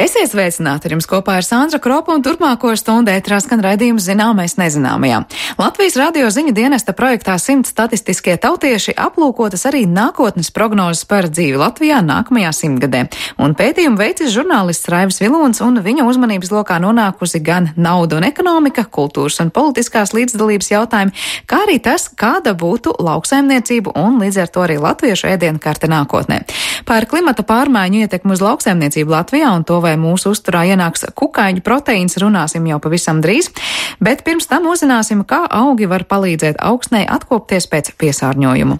Esiet sveicināti, ar jums kopā ir Sandra Kropa un turpmāko stundu ētrā skan raidījums Zināmais nezināmajā. Latvijas radio ziņu dienesta projektā 100 statistiskie tautieši aplūkotas arī nākotnes prognozes par dzīvi Latvijā nākamajā simtgadē. Un pētījumu veicis žurnālists Raivis Vilons, un viņa uzmanības lokā nonākusi gan nauda un ekonomika, kultūras un politiskās līdzdalības jautājumi, kā arī tas, kāda būtu lauksaimniecība un līdz ar to arī latviešu ēdienu karte nākotnē. Par klimata pārmaiņu ietekmi uz lauksaimniecību Latvijā un to, vai mūsu uzturā ienāks kukaiņu proteīns, runāsim jau pavisam drīz, bet pirms tam uzzināsim, kā augi var palīdzēt augsnei atkopties pēc piesārņojumu.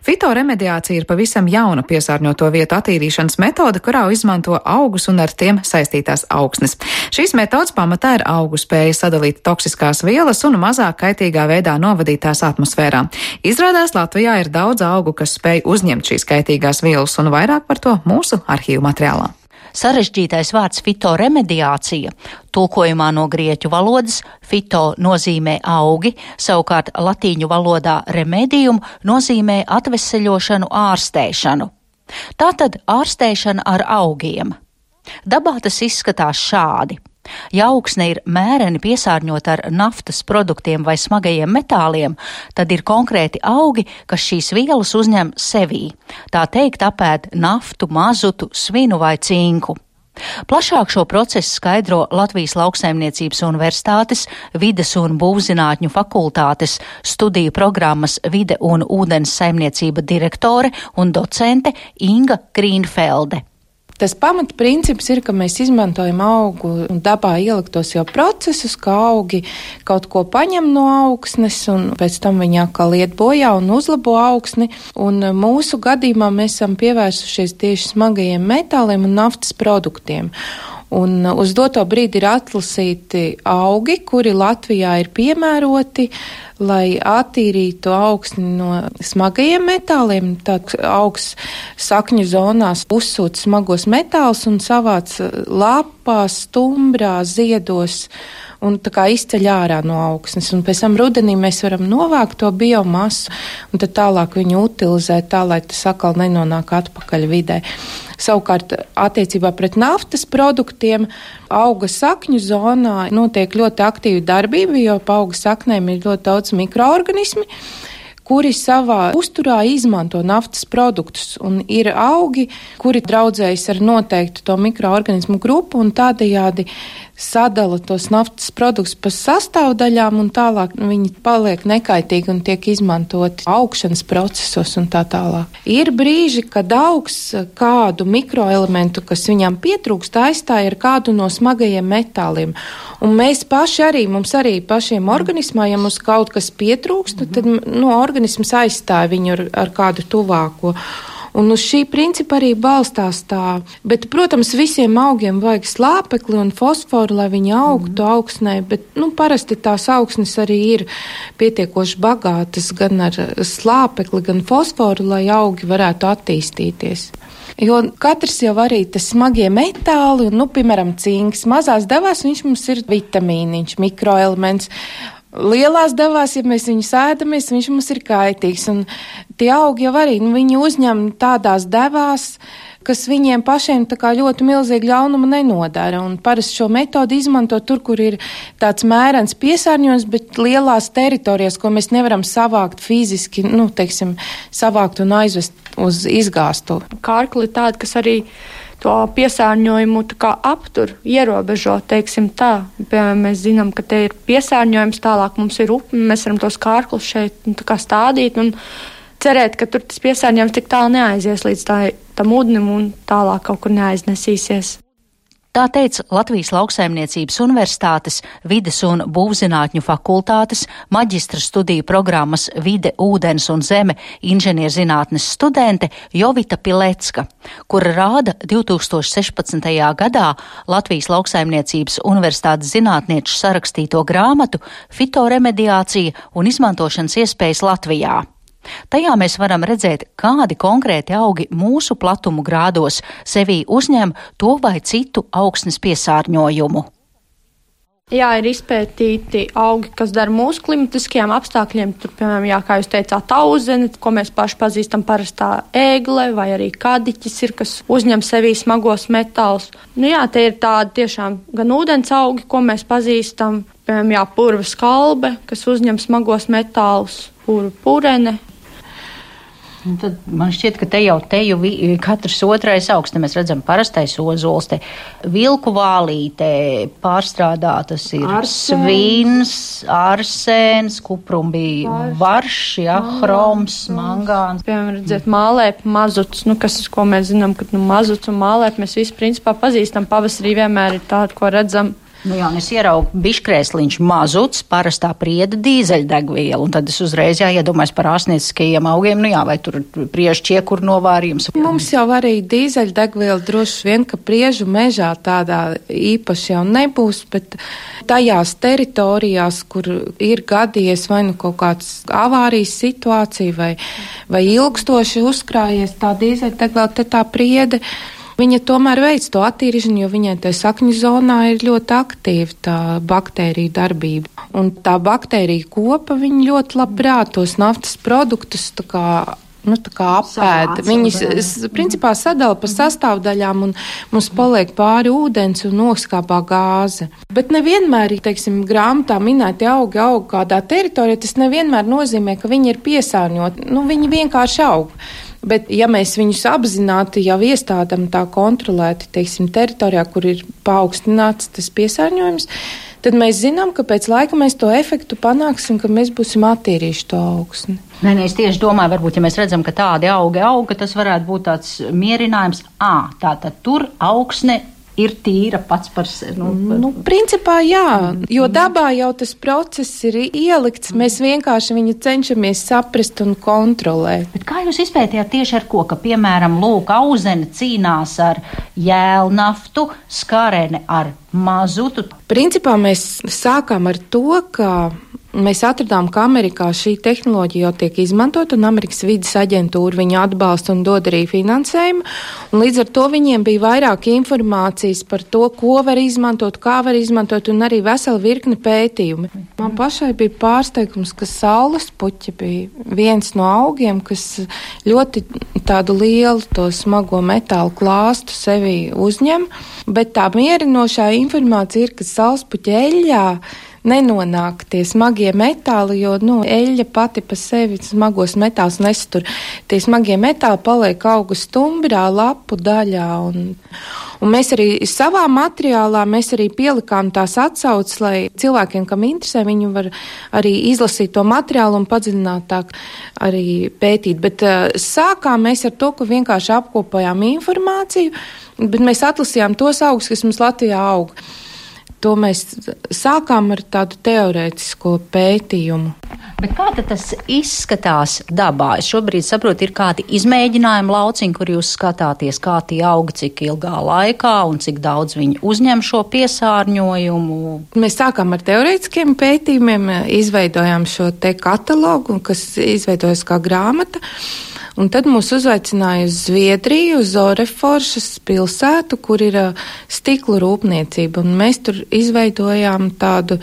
Fitoremediācija ir pavisam jauna piesārņoto vietu attīrīšanas metode, kurā izmanto augus un ar tiem saistītās augsnes. Šīs metodas pamatā ir augu spēja sadalīt toksiskās vielas un mazāk kaitīgā veidā novadīt tās atmosfērā. Izrādās, Latvijā ir daudz augu, kas spēj uzņemt šīs kaitīgās vielas, un vairāk par to mūsu arhīvu materiālā. Sarežģītais vārds fitoremediācija, tulkojumā no grieķu valodas fito nozīmē augi, savukārt latīņu valodā remedium nozīmē atveseļošanu, ārstēšanu. Tātad ārstēšana ar augiem. Dabā tas izskatās šādi. Ja augsne ir mēreni piesārņota ar naftas produktiem vai smagajiem metāliem, tad ir konkrēti augi, kas šīs vielas uzņem sevī. Tā teikt, apēd naftu, mazutu, svinu vai cinku. Plašāk šo procesu skaidro Latvijas Lauksaimniecības Universitātes Vides un būvzinātņu fakultātes studiju programmas Vide un ūdens saimniecība direktore un docente Inga Grīnfelde. Tas pamatprincips ir, ka mēs izmantojam augu un dabā ieliktos jau procesus, ka augi kaut ko paņem no augsnes un pēc tam viņi atkal iet bojā un uzlabo augsni. Un mūsu gadījumā mēs esam pievērsušies tieši smagajiem metāliem un naftas produktiem. Un uz doto brīdi ir atlasīti augi, kuri Latvijā ir piemēroti, lai attīrītu augsni no smagajiem metāliem. Tad augs sakņu zonās uzsūta smagos metālus un savāc lapās, stumbrā, ziedos un tā kā izceļ ārā no augsnes. Un pēc tam rudenī mēs varam novākt to biomasu un tad tālāk viņu utilizēt tā, lai tas atkal nenonāk atpakaļ vidē. Savukārt, attiecībā pret naftas produktiem auga sakņu zonā notiek ļoti aktīva darbība, jo pa auga saknēm ir ļoti daudz mikroorganismi, kuri savā uzturā izmanto naftas produktus. Un ir augi, kuri draudzējas ar noteiktu to mikroorganismu grupu un tādējādi sadala tos naftas produktus pa sastāvdaļām un tālāk viņi paliek nekaitīgi un tiek izmantoti augšanas procesos un tā tālāk. Ir brīži, kad augs kādu mikroelementu, kas viņam pietrūkst, aizstāja ar kādu no smagajiem metāliem. Un mēs mums arī pašiem organismā, ja mums kaut kas pietrūkst, tad organisms aizstāja viņu ar kādu tuvāko. Un uz šī principa arī balstās tā. Bet, protams, visiem augiem vajag slāpekli un fosforu, lai viņi augtu augsnē, bet parasti tās augsnes arī ir pietiekoši bagātas gan ar slāpekli, gan fosforu, lai augi varētu attīstīties. Jo katrs jau arī tas smagie metāli, un, piemēram, cinks, mazās devās viņš mums ir vitamīniņš, mikroelements. Lielās devās, ja mēs viņus ēdamies, viņš mums ir kaitīgs. Un tie augi jau arī, viņi uzņem tādās devās, kas viņiem pašiem tā kā ļoti milzīgi ļaunuma nenodara. Un parasti šo metodu izmanto tur, kur ir tāds mērens piesārņojums, bet lielās teritorijās, ko mēs nevaram savākt fiziski, savākt un aizvest uz izgāstu. Kārkli ir tādi, kas arī to piesārņojumu aptur, ierobežo, teiksim tā. Piemēram, mēs zinām, ka te ir piesārņojums, tālāk mums ir upe, mēs varam tos kārklus šeit stādīt un cerēt, ka tur tas piesārņojums tik tālu neaizies līdz tam ūdenim un tālāk kaut kur neaiznesīsies. Tā teica Latvijas Lauksaimniecības Universitātes Vides un būvzinātņu fakultātes maģistra studiju programmas Vide, ūdens un zeme inženierzinātnes studente Jovita Pilecka, kura rāda 2016. gadā Latvijas Lauksaimniecības Universitātes zinātnieču sarakstīto grāmatu Fitoremediācija un izmantošanas iespējas Latvijā. Tajā mēs varam redzēt, kādi konkrēti augi mūsu platumu grādos sevī uzņem to vai citu augsnes piesārņojumu. Jā, ir izpētīti augi, kas dara mūsu klimatiskajiem apstākļiem. Tur, piemēram, kā jūs teicāt, auzene, ko mēs paši pazīstam, parastā ēgle, vai arī kadiķis ir, kas uzņem sevī smagos metālus. Tie ir tādi tiešām gan ūdens augi, ko mēs pazīstam, piemēram, purva skalbe, kas uzņem smagos metālus, purene. Un tad man šķiet, ka te jau katrs otrais augs, te mēs redzam parastais ozols, te vilku vālīte pārstrādātas ir svins, arsēns, kuprumbi, varš, hroms, mangāns. Piemēram, redzēt mālēpi, mazuts, ko mēs zinām, ka mazuts un mālēpi mēs visi principā pazīstam. Pavasarī vienmēr ir tādi, ko redzam. Es ieraugu biškrēsliņš mazuts, parastā prieda dīzeļdegviela, un tad es uzreiz iedomājos par ārstnieciskajiem augiem, vai tur priežu ķiekuru novārījums. Mums jau arī dīzeļdegviela droši vien, ka priežu mežā tādā īpaši jau nebūs, bet tajās teritorijās, kur ir gadījies vai kaut kāds avārijas situācija vai ilgstoši uzkrājies tā dīzeļdegviela, te tā priede, viņa tomēr veic to attīrīšanu, jo viņai tajā sakņu zonā ir ļoti aktīva tā baktērija darbība. Un tā baktērija kopa, viņa ļoti labprāt tos naftas produktus tā kā apēda. Viņas principā sadala pa sastāvdaļām un mums paliek pāri ūdens un noskāpā gāze. Bet nevienmēr, grāmatā minēti augi aug kādā teritorijā, tas nevienmēr nozīmē, ka viņi ir piesārņoti. Viņi vienkārši aug. Bet, ja mēs viņus apzināti jau iestādam tā kontrolēti, teritorijā, kur ir paaugstināts tas piesārņojums, tad mēs zinām, ka pēc laika mēs to efektu panāksim, ka mēs būsim attīrījuši to augsni. Es tieši domāju, varbūt, ja mēs redzam, ka tādi augi aug, ka tas varētu būt tāds mierinājums. Tātad tur augsne ir tīra pats par sevi. Principā jā, jo dabā jau tas process ir ielikts, mēs vienkārši viņu cenšamies saprast un kontrolēt. Bet kā jūs izpētījāt tieši ar ko, ka, piemēram, auzene cīnās ar jēlnaftu, skarene ar mazutu? Principā mēs sākām ar to, ka mēs atradām, ka Amerikā šī tehnoloģija jau tiek izmantot, un Amerikas vides aģentūra viņu atbalsta un dod arī finansējumu. Un līdz ar to viņiem bija vairāk informācijas par to, ko var izmantot, kā var izmantot, un arī vesela virkne pētījumi. Man pašai bija pārsteigums, ka saules puķi bija viens no augiem, kas ļoti tādu lielu to smago metālu klāstu sevi uzņem, bet tā mierinošā informācija ir, ka saules puķa eļļā nenonāk tie smagie metāli, jo eļļa pati pa sevi smagos metālus nestur. Tie smagie metāli paliek augu stumbrā, lapu daļā. Un mēs arī savā materiālā pielikām tās atsauces, lai cilvēkiem, kam interesē, viņi var arī izlasīt to materiālu un padziļinātāk arī pētīt. Bet sākām mēs ar to, ka vienkārši apkopojām informāciju, bet mēs atlasījām tos augus, kas mums Latvijā aug. To mēs sākām ar tādu teorētisko pētījumu. Bet kā tad tas izskatās dabā? Es šobrīd saprotu, ir kādi izmēģinājumi lauciņi, kur jūs skatāties, kā tie aug, cik ilgā laikā un cik daudz viņi uzņem šo piesārņojumu. Mēs sākām ar teorētiskiem pētījumiem, izveidojām šo te katalogu, kas izveidojas kā grāmata. Un tad mūs uzaicināja uz Zviedriju, uz Oreforšas pilsētu, kur ir stikla rūpniecība. Un mēs tur izveidojām tādu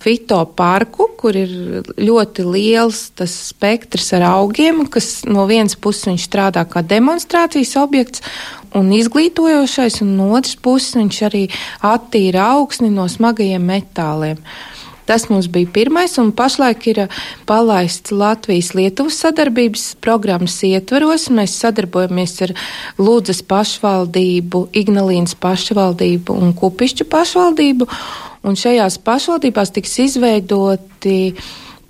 fitoparku, kur ir ļoti liels tas spektrs ar augiem, kas no vienas puses viņš strādā kā demonstrācijas objekts un izglītojošais, un no otras puses viņš arī attīra augsni no smagajiem metāliem. Tas mums bija pirmais, un pašlaik ir palaists Latvijas-Lietuvas sadarbības programmas ietvaros. Mēs sadarbojamies ar Ludzas pašvaldību, Ignalīnas pašvaldību un Kupišķu pašvaldību, un šajās pašvaldībās tiks izveidoti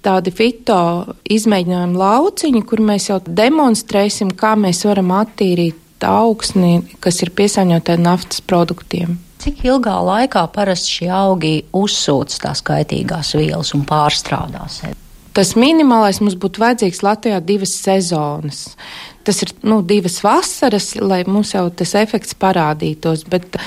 tādi fito izmēģinājumu lauciņi, kur mēs jau demonstrēsim, kā mēs varam attīrīt augsni, kas ir piesārņota ar naftas produktiem. Cik ilgā laikā parasti šie augi uzsūc tās kaitīgās vielas un pārstrādās? Tas minimālais mums būtu vajadzīgs Latvijā 2 sezonas. Tas ir 2 vasaras, lai mums jau tas efekts parādītos, bet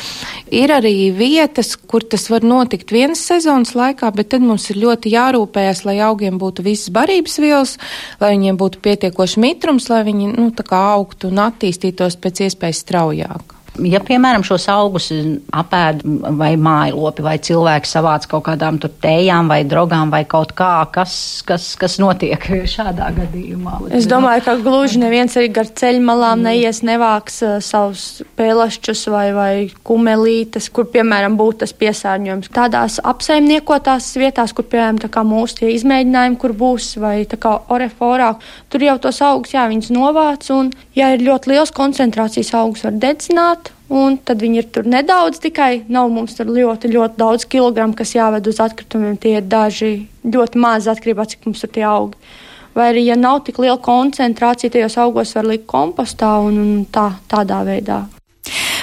ir arī vietas, kur tas var notikt 1 sezonas laikā, bet tad mums ir ļoti jārūpējas, lai augiem būtu visas barības vielas, lai viņiem būtu pietiekoši mitrums, lai viņi tā kā augtu un attīstītos pēc iespējas straujāk. Ja, piemēram, šos augus apēd vai mājlopi, vai cilvēki savāc kaut kādām tur tējām vai drogām vai kaut kā, kas notiek šādā gadījumā? Es domāju, ka gluži neviens arī gar ceļmalām neies, nevāks savus pēlašķus vai kumelītes, kur, piemēram, būtu tas piesārņojums. Tādās apsaimniekotās vietās, kur, piemēram, tā kā mūsu tie izmēģinājumi, kur būs, vai tā kā oreforā, tur jau tos augus, jā, viņus novāc, un, ja ir ļoti liels koncentrācijas augus, var dedzināt, un tad viņi ir tur nedaudz tikai, nav mums tur ļoti, ļoti daudz kilogramu, kas jāved uz atkritumiem, tie ir daži ļoti maz atkarībā, cik mums tur tie augi. Vai arī, ja nav tik liela koncentrācija, tajos augos var likt kompostā un tādā veidā.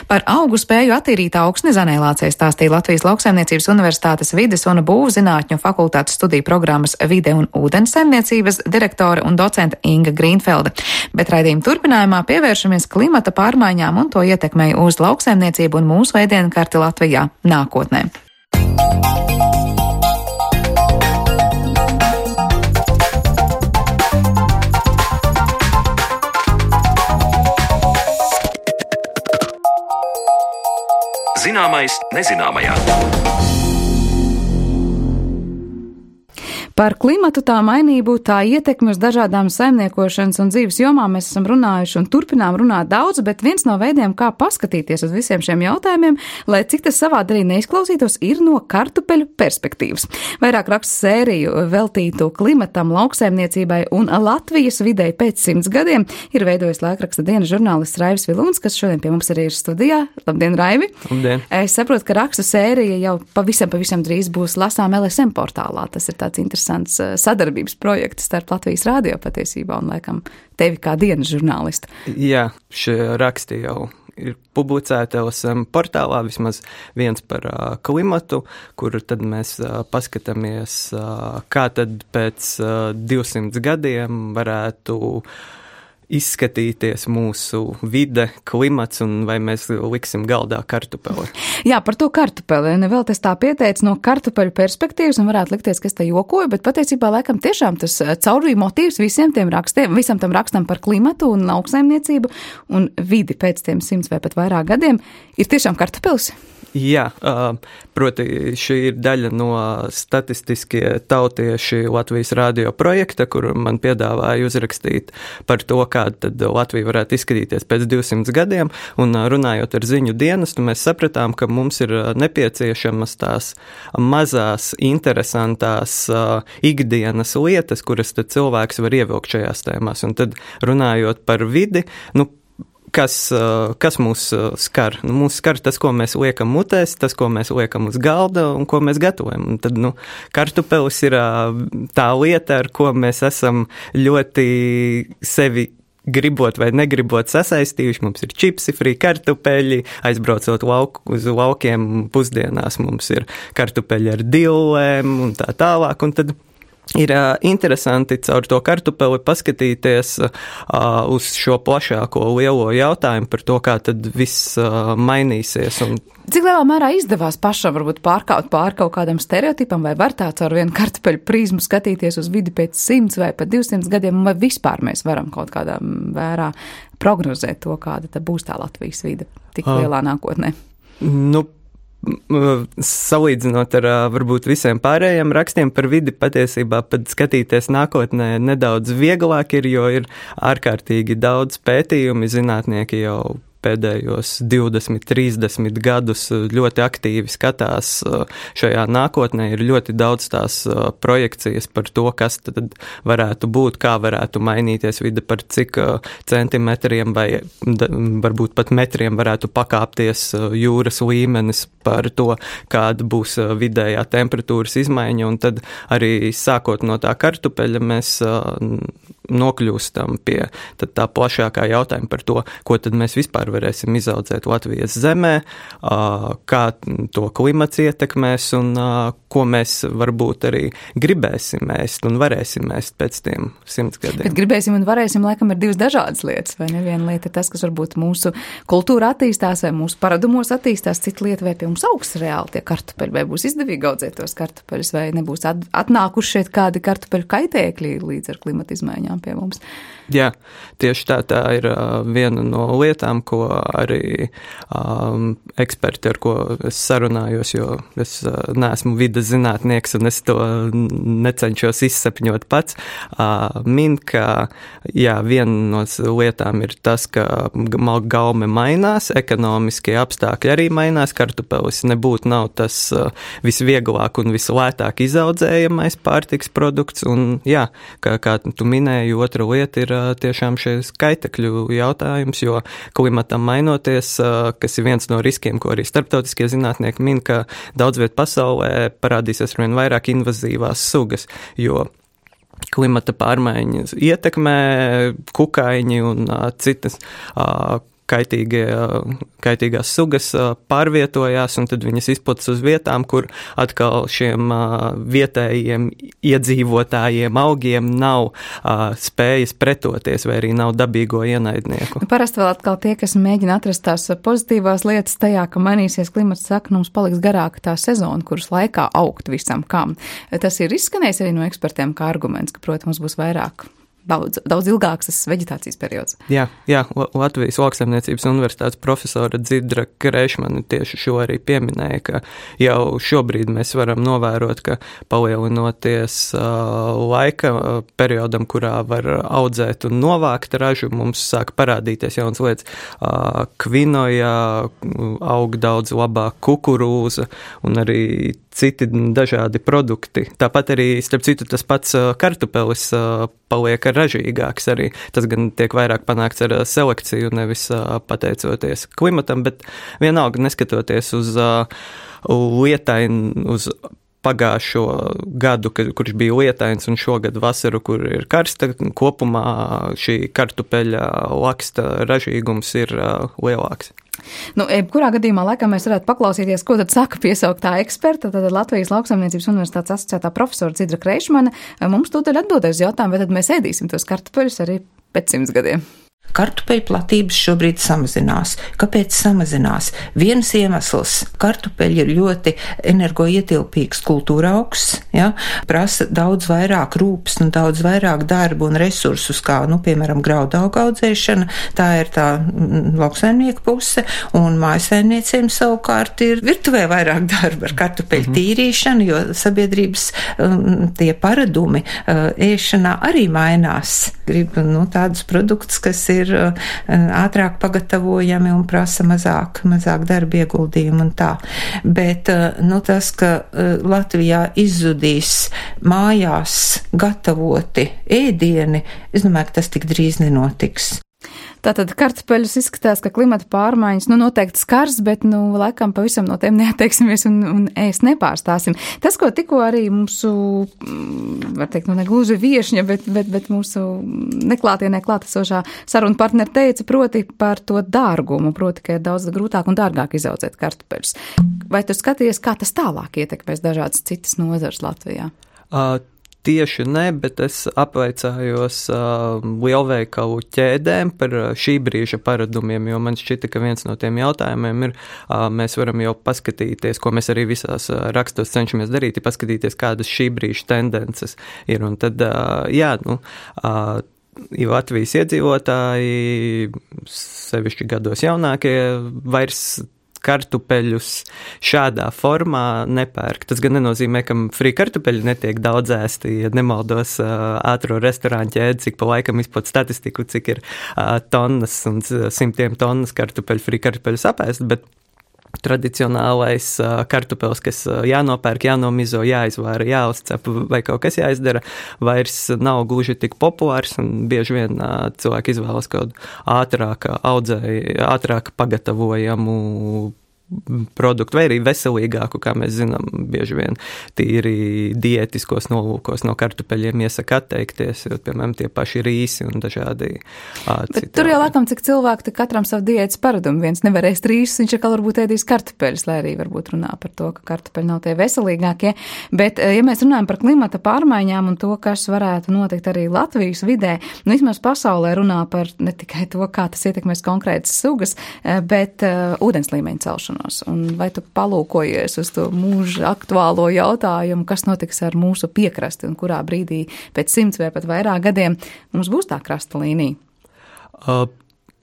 Par augu spēju attīrīt augsni Zanēlācei stāstīja Latvijas Lauksaimniecības Universitātes vides un būvzinātņu fakultātes studiju programmas vide un ūdens saimniecības direktore un docente Inga Grīnfelde. Bet raidījuma turpinājumā pievēršamies klimata pārmaiņām un to ietekmei uz lauksaimniecību un mūsu ēdienkarti Latvijā nākotnē. Zināmais nezināmajā. Par klimatu, tā mainību, tā ietekmi uz dažādām saimniekošanas un dzīves jomām mēs esam runājuši un turpinām runāt daudz, bet viens no veidiem, kā paskatīties uz visiem šiem jautājumiem, lai cik tas savādi arī neizklausītos, ir no kartupeļu perspektīvas. Vairāk rakstu sēriju veltītu klimatam, lauksaimniecībai un Latvijas videi pēc 100 gadiem ir veidojis laikraksta dienas žurnālists Raivis Vilūns, kas šodien pie mums arī ir studijā. Labdien, Raivi! Labdien! Es saprotu, ka rakstu sērija jau pavisam drīz būs lasām LSM portālā. Tas ir tāds interesants sadarbības projekts starp Latvijas radio patiesībā un, laikam, tevi kā dienas žurnālistu. Jā, šie raksti jau ir publicēti LSM portālā, vismaz viens par klimatu, kur tad mēs paskatāmies, kā tad pēc 200 gadiem varētu izskatīties mūsu vide, klimats un vai mēs liksim galdā kartupeli. Jā, par to kartupeli. Vēl tas tā pieteicis no kartupeļu perspektīvas un varētu likties, ka es te jokoju, bet patiesībā laikam tiešām tas caurvīja motīvs visiem tiem rakstiem, visam tam rakstam par klimatu un lauksaimniecību un vidi pēc tiem 100 vai pat vairāk gadiem ir tiešām kartupelis. Jā, proti šī ir daļa no statistiskie tautieši Latvijas radio projekta, kur man piedāvāja uzrakstīt par to, kā tad Latvija varētu izskatīties pēc 200 gadiem, un runājot ar ziņu dienestu, mēs sapratām, ka mums ir nepieciešamas tās mazās, interesantās ikdienas lietas, kuras tad cilvēks var ievilkt šajās tēmās, un tad runājot par vidi, kas mūs skar? Mūs skar tas, ko mēs liekam mutēs, tas, ko mēs liekam uz galda un ko mēs gatavojam. Un tad, kartupelis ir tā lieta, ar ko mēs esam ļoti sevi gribot vai negribot sasaistījuši. Mums ir čipsi, frī kartupeļi, aizbraucot uz laukiem pusdienās mums ir kartupeļi ar dillēm un tā tālāk. Un tad ir interesanti caur to kartupeli paskatīties uz šo plašāko lielo jautājumu par to, kā tad viss mainīsies. Cik lielā mērā izdevās pašam varbūt pārkaut pār kaut kādam stereotipam, vai var tā caur vienu kartupeļu prizmu skatīties uz vidi pēc 100 vai pat 200 gadiem, vai vispār mēs varam kaut kādā vērā prognozēt to, kāda tad būs tā Latvijas vide tik lielā nākotnē? Salīdzinot ar varbūt visiem pārējiem rakstiem par vidi, patiesībā pat skatīties nākotnē nedaudz vieglāk ir, jo ir ārkārtīgi daudz pētījumi, zinātnieki jau pēdējos 20, 30 gadus ļoti aktīvi skatās šajā nākotnē. Ir ļoti daudz tās projekcijas par to, kas tad varētu būt, kā varētu mainīties vide, par cik centimetriem vai varbūt pat metriem varētu pakāpties jūras līmenis, par to, kāda būs vidējā temperatūras izmaiņa. Un tad arī sākot no tā kartupeļa mēs nokļūstam pie tā plašākā jautājuma par to, ko tad mēs vispār varēsim izaudzēt Latvijas zemē, kā to klimats ietekmēs un ko mēs varbūt arī gribēsim ēst un varēsim ēst pēc tiem 100 gadiem. Bet gribēsim un varēsim, laikam, ir divas dažādas lietas, vai ne? Viena lieta ir tas, kas varbūt mūsu kultūra attīstās vai mūsu paradumos attīstās, cita lieta, vai pie mums augs reāli tie kartupeļi, vai būs izdevīgi audzēt tos kartupeļus, vai nebūs atnākuši šeit kādi kartupeļu kaitēkļi līdz ar klimata izmaiņām. mājām pie mums. Jā, tieši tā ir viena no lietām, ko arī eksperti, ar ko es sarunājos, jo es neesmu vides zinātnieks un es to necenšos izsapņot pats, min, ka viena no lietām ir tas, ka gaume mainās, ekonomiskie apstākļi arī mainās, kartupelis nebūtu nav tas visvieglāk un vislētāk izaudzējamais pārtiks produkts, un kā tu minēji, otra lieta ir tiešām šis kaitekļu jautājums, jo klimatam mainoties, kas ir viens no riskiem, ko arī starptautiskie zinātnieki min, ka daudz viet pasaulē parādīsies arvien vairāk invazīvās sugas, jo klimata pārmaiņas ietekmē kukaiņi un citas kaitīgās sugas pārvietojās, un tad viņas izplatas uz vietām, kur atkal šiem vietējiem iedzīvotājiem augiem nav spējas pretoties, vai arī nav dabīgo ienaidnieku. Parasti vēl atkal tie, kas mēģina atrast tās pozitīvās lietas tajā, ka mainīsies klimats, saka, mums paliks garāka tā sezona, kuras laikā augt visam kam. Tas ir izskanējis arī no ekspertiem kā arguments, ka, protams, būs vairāk. Daudz ilgāks tas veģetācijas periods. Jā, Latvijas Lauksaimniecības universitātes profesora Dzidra Kreišmane tieši šo arī pieminēja, ka jau šobrīd mēs varam novērot, ka palielinoties laika periodam, kurā var audzēt un novākt ražu, mums sāk parādīties jaunas lietas. Kvinoja aug daudz labāk, kukurūza un arī citi dažādi produkti. Tāpat arī, starp citu, tas pats kartupelis paliek ražīgāks arī. Tas gan tiek vairāk panākts ar selekciju, nevis pateicoties klimatam, bet vienalga neskatoties uz lietainu, uz pagājušo gadu, kurš bija lietains, un šogad vasaru, kur ir karsta, kopumā šī kartupeļa laksta ražīgums ir lielāks. Kurā gadījumā laikam mēs varētu paklausīties, ko tad saka piesauktā eksperta, tad Latvijas Lauksaimniecības universitātes asociētā profesora Dzidra Kreišmane. Mums tūdaļ atbildēs jautājumu, vai tad mēs ēdīsim tos kartupeļus arī pēc 100 gadiem. Kartupeļu platības šobrīd samazinās. Kāpēc samazinās? Viens iemesls - kartupeļi ir ļoti energoietilpīgs kultūra augsts, prasa daudz vairāk rūpes un daudz vairāk darbu un resursus, kā, piemēram, graudaugu audzēšana. Tā ir tā lauksaimnieku puse, un mājasaimniecēm savukārt ir virtuvē vairāk darba ar kartupeļu tīrīšanu, jo sabiedrības tie paradumi ēšanā arī mainās. Grib, tādus produktus, kas ir ātrāk pagatavojami un prasa mazāk darba ieguldījumu un tā. Bet, tas, ka Latvijā izzudīs mājās gatavoti ēdieni, es domāju, ka tas tik drīz nenotiks. Tātad kartupeļus izskatās, ka klimata pārmaiņas noteikti skars, bet laikam pavisam no tiem neatteiksimies un ēst nepārstāsim. Tas, ko tikko arī mūsu, var teikt, negluži viešņa, bet mūsu neklātienē klātesošā saruna partneri teica, proti par to dārgumu, proti, ka ir daudz grūtāk un dārgāk izaudzēt kartupeļus. Vai tu skaties, kā tas tālāk ietekmēs dažādas citas nozares Latvijā? Tieši ne, bet es apvaicājos lielveikalu ķēdēm par šī brīža paradumiem, jo man šķita, ka viens no tiem jautājumiem ir, mēs varam jau paskatīties, ko mēs arī visās rakstos cenšamies darīt, ir paskatīties, kādas šī brīža tendences ir. Un tad, Latvijas iedzīvotāji, sevišķi gados jaunākie, vairs kartupeļus šādā formā nepērk. Tas gan nenozīmē, ka frī kartupeļi netiek daudz ēsti, ja nemaldos ātro restorāņu ķēdi, cik pa laikam izplat statistiku, cik ir tonnas un simtiem tonnas kartupeļu, frī kartupeļus apēst, bet tradicionālais kartupelis, kas jānopērk, jānomizo, jāizvāra, jāuzcep vai kaut kas jāizdara, vairs nav gluži tik populārs un bieži vien cilvēki izvēlas kaut ātrāk pagatavojamu produktu, vai arī veselīgāku, kā mēs zinām, bieži vien tīri diētiskos nolūkos no kartupeļiem iesaka atteikties, jo, piemēram, tie paši rīsi un dažādi Bet tur jau laikam, cik cilvēki katram savu diētas paradumu. Viens nevar ēst rīsus, viņš atkal varbūt ēdīs kartupeļus, lai arī varbūt runā par to, ka kartupeļi nav tie veselīgākie. Bet, ja mēs runājam par klimata pārmaiņām un to, kas varētu notikt arī Latvijas vidē, vismaz pasaulē runā par ne tikai to, kā tas ietekmēs konkrētas sugas, bet ūdens līmeņa celšanu. sasilšanos. Un vai tu palūkojies uz to mūža aktuālo jautājumu, kas notiks ar mūsu piekrasti un kurā brīdī pēc 100 vai pat vairāk gadiem mums būs tā krasta līnija?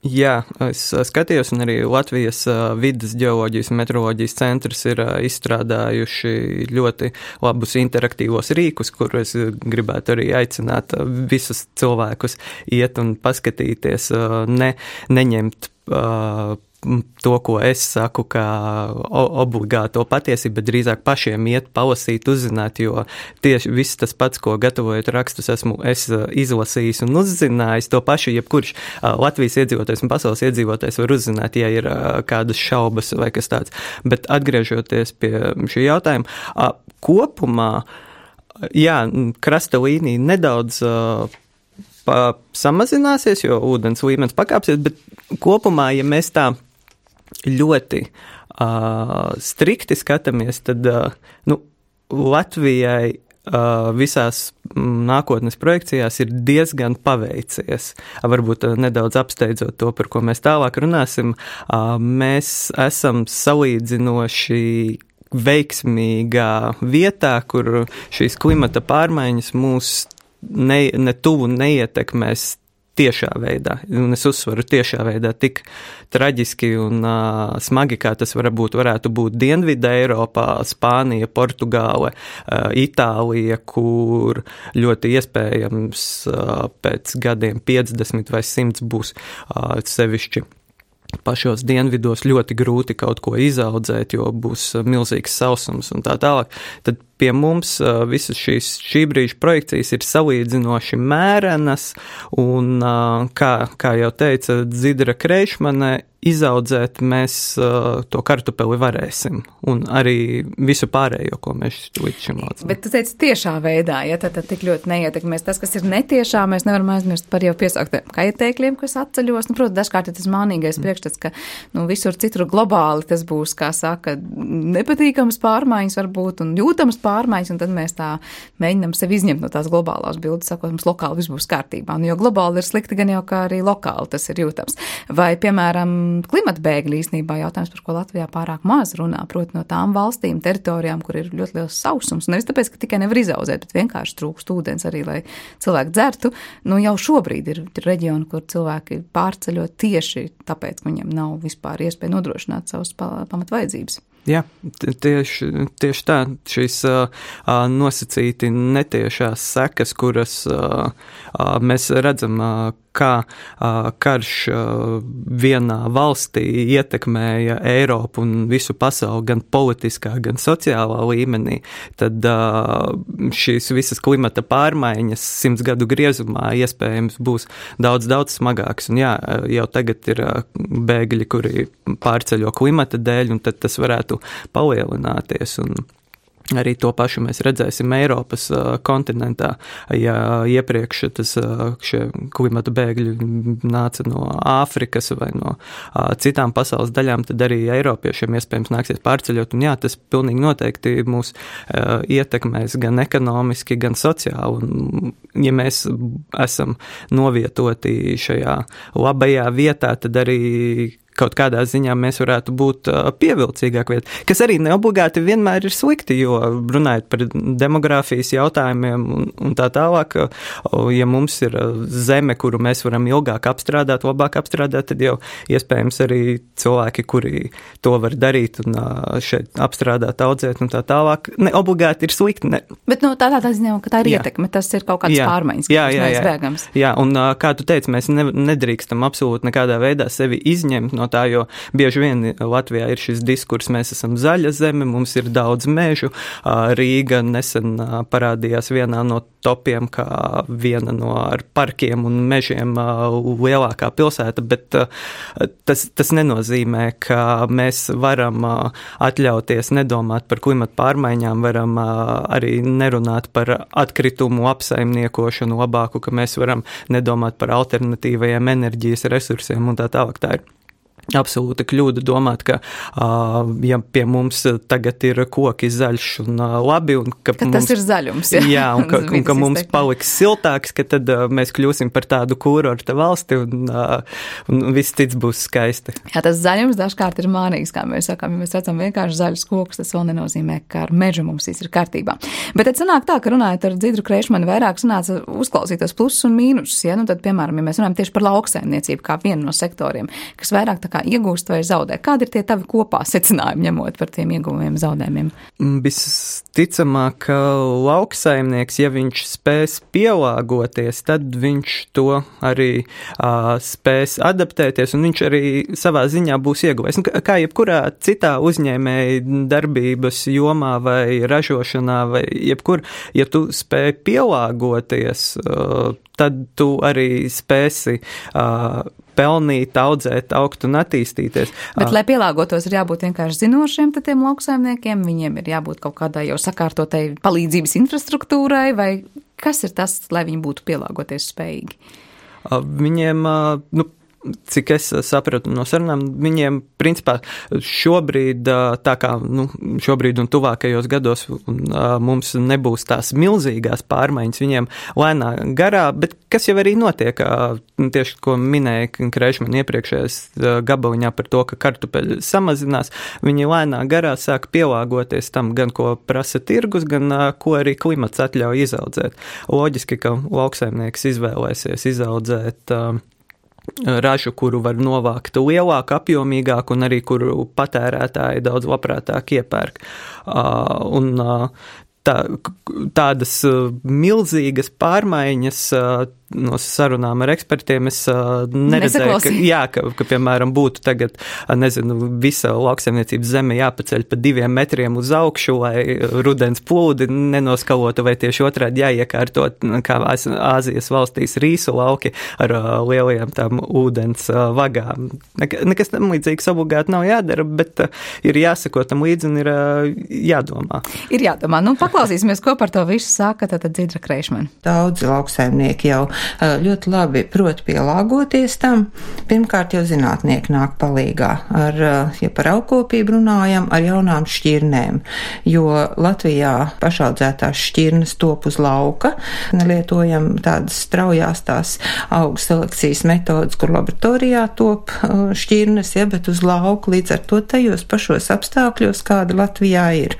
Jā, es skatījos, un arī Latvijas vides ģeoloģijas un meteoroloģijas centrs ir izstrādājuši ļoti labus interaktīvos rīkus, kur es gribētu arī aicināt visus cilvēkus iet un paskatīties, neņemt to, ko es saku, kā obligāto patiesību, bet drīzāk pašiem iet, palasīt, uzzināt, jo tieši viss tas pats, ko gatavojot rakstus, esmu izlasījis un uzzinājis, to pašu jebkurš Latvijas iedzīvotājs un pasaules iedzīvotājs var uzzināt, ja ir kādas šaubas vai kas tāds. Bet atgriežoties pie šī jautājuma, kopumā, jā, krasta līnija nedaudz samazināsies, jo ūdens līmenis pakāpsies, bet kopumā, ja mēs tā ļoti strikti skatāmies, tad Latvijai visās nākotnes projekcijās ir diezgan paveicies. Varbūt nedaudz apsteidzot to, par ko mēs tālāk runāsim, mēs esam salīdzinoši veiksmīgā vietā, kur šīs klimata pārmaiņas mūs ne tuvu neietekmēs tiešā veidā, un es uzsveru tiešā veidā tik traģiski un smagi, kā tas varētu būt Dienvidē Eiropā, Spānija, Portugāle, Itālija, kur ļoti iespējams pēc gadiem 50 vai 100 būs sevišķi pašos dienvidos ļoti grūti kaut ko izaudzēt, jo būs milzīgs sausums un tā tālāk. Tad pie mums visas šī brīža projekcijas ir salīdzinoši mērenas, un, kā jau teica Dzidra Kreišmane, izaudzēt mēs to kartupeli varēsim, un arī visu pārējo, ko mēs līdz šim audzam. Bet tu teici tiešā veidā, ja tad tik ļoti neietekmēs. Tas, kas ir netiešā, mēs nevaram aizmirst par jau piesauktiem kaitēkļiem, kas atceļos. Protams, dažkārt ir tas mānīgais priekšstats, ka visur citur globāli tas būs, kā saka, nepatīkams pārmaiņas varbūt un jūtams pārmaiņas, un tad mēs tā mēģinam sevi izņemt no tās globālās bildes, sakot, mums lokāli viss būs kārtībā. Un jo globāli ir slikti, gan jau kā arī lokāli tas ir jūtams. Vai, piemēram, klimata bēgļi īstenībā jautājums, par ko Latvijā pārāk maz runā, proti no tām valstīm, teritorijām, kur ir ļoti liels sausums. Nevis tāpēc, ka tikai nevar izaudzēt, bet vienkārši trūkst ūdens arī, lai cilvēki dzertu. Jau šobrīd ir reģioni, kur cilvēki pārceļo tieši tāpēc, ka viņiem nav vispār iespēja nodrošināt savas pamatvajadzības. Jā, tieši tā, šīs nosacīti netiešās sekas, kuras mēs redzam, kā karš vienā valstī ietekmēja Eiropu un visu pasauli gan politiskā, gan sociālā līmenī, tad šīs visas klimata pārmaiņas 100 gadu griezumā iespējams būs daudz smagākas. Un jā, jau tagad ir bēgļi, kuri pārceļo klimata dēļ, un tad tas varētu palielināties. Un arī to pašu mēs redzēsim Eiropas kontinentā, ja iepriekš šie klimata bēgļi nāca no Āfrikas vai no citām pasaules daļām, tad arī Eiropiešiem iespējams nāksies pārceļot. Un jā, tas pilnīgi noteikti mūs ietekmēs gan ekonomiski, gan sociāli. Un, ja mēs esam novietoti šajā labajā vietā, tad arī kaut kādā ziņā mēs varētu būt pievilcīgāk vieta, kas arī neobligāti vienmēr ir slikti, jo runājot par demogrāfijas jautājumiem un tā tālāk, ja mums ir zeme, kuru mēs varam ilgāk apstrādāt, labāk apstrādāt, tad jau iespējams arī cilvēki, kuri to var darīt un šeit apstrādāt, audzēt un tā tālāk, neobligāti ir slikti. Ne. Bet tādā ziņā, ka tā ir ietekme, tas ir kaut kāds pārmaiņas, kas neizbēgams. Jā, un kā tu teici, mēs nedrīkstam absolūti nekādā veidā sevi izņemt no tā, jo bieži vien Latvijā ir šis diskurs, mēs esam zaļa zeme, mums ir daudz mežu. Rīga nesen parādījās vienā no topiem, kā viena no ar parkiem un mežiem lielākā pilsēta, bet tas nenozīmē, ka mēs varam atļauties nedomāt par klimata pārmaiņām, varam arī nerunāt par atkritumu apsaimniekošanu labāku, ka mēs varam nedomāt par alternatīvajiem enerģijas resursiem un tā tālāk. Tā ir absolūta kļūda domāt, ka, ja pie mums tagad ir koki zaļš un labi, un ka mums, tas ir zaļums, jā, un ka mums paliks siltāks, ka tad mēs kļūsim par tādu kurorta valsti, un viss cits būs skaisti. Jā, tas zaļums dažkārt ir mānīgs, kā mēs sakām, ja mēs redzam vienkārši zaļus kokus, tas vēl nenozīmē, ka ar mežu mums viss ir kārtībā. Bet tad sanāk tā, ka runājot ar Dzidru Kreišmanu, vairāk sanāca uzklausītos plusus un mīnusus, ja? Nu tad, piemēram, ja mēs runājam tieši par lauksaimniecību kā vienu no sektoriem, kas vairāk tā kā iegūst vai zaudē. Kādi ir tie tavi kopā secinājumi, ņemot par tiem ieguvumiem, zaudējumiem? Visticamāk, ka lauksaimnieks, ja viņš spēs pielāgoties, tad viņš to arī spēs adaptēties, un viņš arī savā ziņā būs ieguvējis. Kā jebkurā citā uzņēmēja darbības jomā vai ražošanā vai jebkur, ja tu spēj pielāgoties, tad tu arī spēsi pelnīt, audzēt, augt un attīstīties. Bet, lai pielāgotos, ir jābūt vienkārši zinošiem tiem lauksaimniekiem, viņiem ir jābūt kaut kādai jau sakārtotai palīdzības infrastruktūrai, vai kas ir tas, lai viņi būtu pielāgoties spējīgi? Viņiem, cik es sapratu no sarunām, viņiem, principā, šobrīd, tā kā, šobrīd un tuvākajos gados mums nebūs tās milzīgās pārmaiņas, viņiem lēnā garā, bet kas jau arī notiek, tieši, ko minēja Kreišman iepriekšējais gabaliņā par to, ka kartupeļi samazinās, viņi lēnā garā sāk pielāgoties tam, gan ko prasa tirgus, gan ko arī klimats atļauj izaudzēt. Loģiski, ka lauksaimnieks izvēlēsies izaudzēt ražu, kuru var novākt lielāk, apjomīgāk un arī kuru patērētāji daudz labprātāk iepērk. Un tādas milzīgas pārmaiņas no sarunām ar ekspertiem es neredzēju, ka piemēram, būtu tagad, visa lauksaimniecības zeme jāpaceļ pa 2 metriem uz augšu, lai rudens plūdi nenoskalotu, vai tieši otrādi jāiekārtot, kā Āzijas valstīs, rīsu lauki ar lielajām tām ūdens vagām. Nekas tam līdzīgs obligāti nav jādara, bet ir jāsako tam līdzi un ir jādomā. Ir jādomā. Paklausīsimies, ko par to visu saka tad Dzidra Kreišmana. Daudzi lauksaimnieki jau ļoti labi prot pielāgoties tam. Pirmkārt, jau zinātnieki nāk palīgā ja par augkopību runājam, ar jaunām šķirnēm, jo Latvijā pašaudzētās šķirnes top uz lauka, lietojam tādas straujās tās augu selekcijas metodas, kur laboratorijā top šķirnes, bet uz lauku līdz ar to tajos pašos apstākļos, kāda Latvijā ir.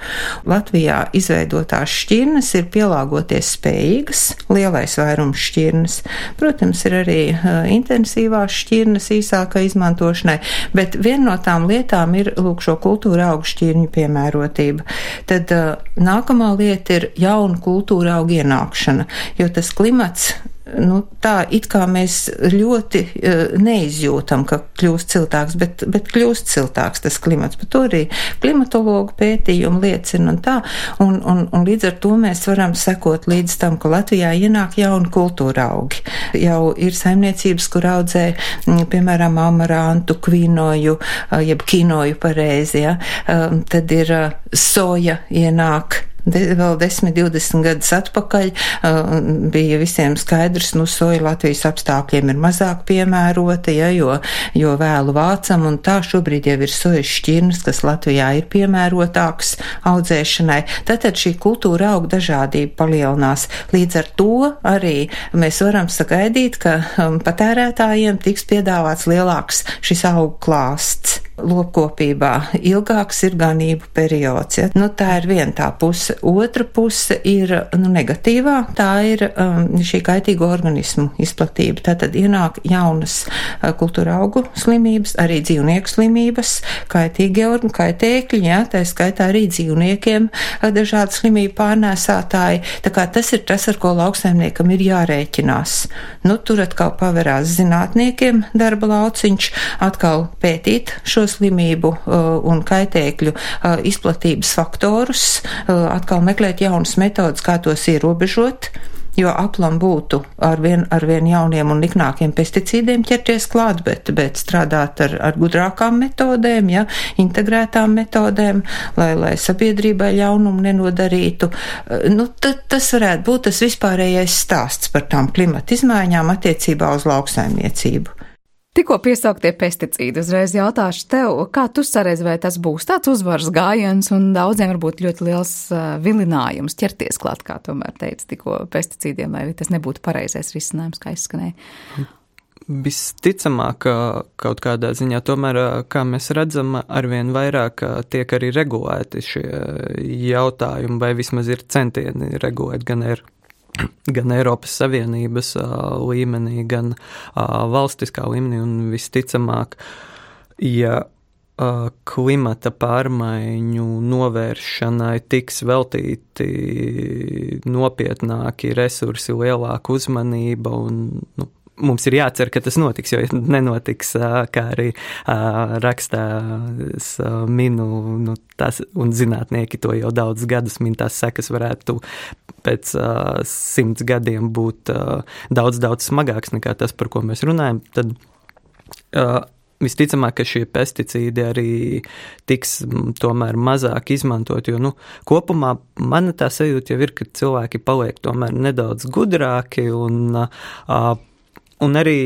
Latvijā izveidotās šķirnes ir pielāgoties spējīgas, lielais vairums šķirnes. Protams, ir arī intensīvās šķirnes īsākai izmantošanai, bet viena no tām lietām ir, šo kultūra augu šķirņu piemērotība. Tad nākamā lieta ir jauna kultūra augu ienākšana, jo tas klimats, tā it kā mēs ļoti neizjūtam, ka kļūst siltāks, bet kļūst siltāks tas klimats. Par to arī klimatologu pētījumi liecina un tā, un līdz ar to mēs varam sekot līdz tam, ka Latvijā ienāk jauni kultūra augi. Jau ir saimniecības, kur audzē, piemēram, amarantu, kvinoju, jeb kinoju pareizi, tad ir soja ienāk. Vēl 10-20 gadus atpakaļ bija visiem skaidrs, soja Latvijas apstākļiem ir mazāk piemērota, jo vēlu vācam, un tā šobrīd jau ir sojas šķirnes, kas Latvijā ir piemērotāks audzēšanai. Tātad šī kultūra auga dažādība palielinās. Līdz ar to arī mēs varam sagaidīt, ka patērētājiem tiks piedāvāts lielāks šis augu klāsts. Lopkopībā ilgāks ir ganību periods. Tā ir viena tā puse. Otra puse ir negatīvā, tā ir šī kaitīgo organismu izplatība. Tātad ienāk jaunas kultūra augu slimības, arī dzīvnieku slimības, kaitīgie kaitēkļi, tā skaitā arī dzīvniekiem dažādi slimību pārnēsātāji. Tā kā tas ir tas, ar ko lauksaimniekam ir jārēķinās. Tur atkal paverās zinātniekiem darba lauciņš, atkal pētīt šo slimību un kaitēkļu izplatības faktorus, atkal meklēt jaunas metodas, kā tos ierobežot, jo aplam būtu ar vien jauniem un niknākiem pesticīdiem ķerties klāt, bet strādāt ar gudrākām metodēm, integrētām metodēm, lai sabiedrībai ļaunumu nenodarītu. Tas varētu būt tas vispārējais stāsts par tām klimata izmaiņām attiecībā uz lauksaimniecību. Tikko piesauktie pesticīdi, uzreiz jautāšu tev, kā tu saredzi, vai tas būs tāds uzvaras gājiens un daudziem varbūt ļoti liels vilinājums ķerties klāt, kā tomēr teica tikko pesticīdiem, vai tas nebūtu pareizais risinājums, kā izskanēja? Visticamāk, kaut kādā ziņā, tomēr, kā mēs redzam, arvien vairāk tiek arī regulēti šie jautājumi, vai vismaz ir centieni regulēt gan Eiropas Savienības līmenī, gan valstiskā līmenī, un visticamāk, ja klimata pārmaiņu novēršanai tiks veltīti nopietnāki resursi, lielāka uzmanība un, mums ir jācer, ka tas notiks, jo nenotiks, kā arī rakstā minu, tas, un zinātnieki to jau daudz gadus min, tās sekas varētu pēc 100 gadiem būt daudz smagāks nekā tas, par ko mēs runājam, tad visticamāk, ka šie pesticīdi arī tiks tomēr mazāk izmantot, jo, kopumā mana tā sajūta jau ir, ka cilvēki paliek tomēr nedaudz gudrāki un arī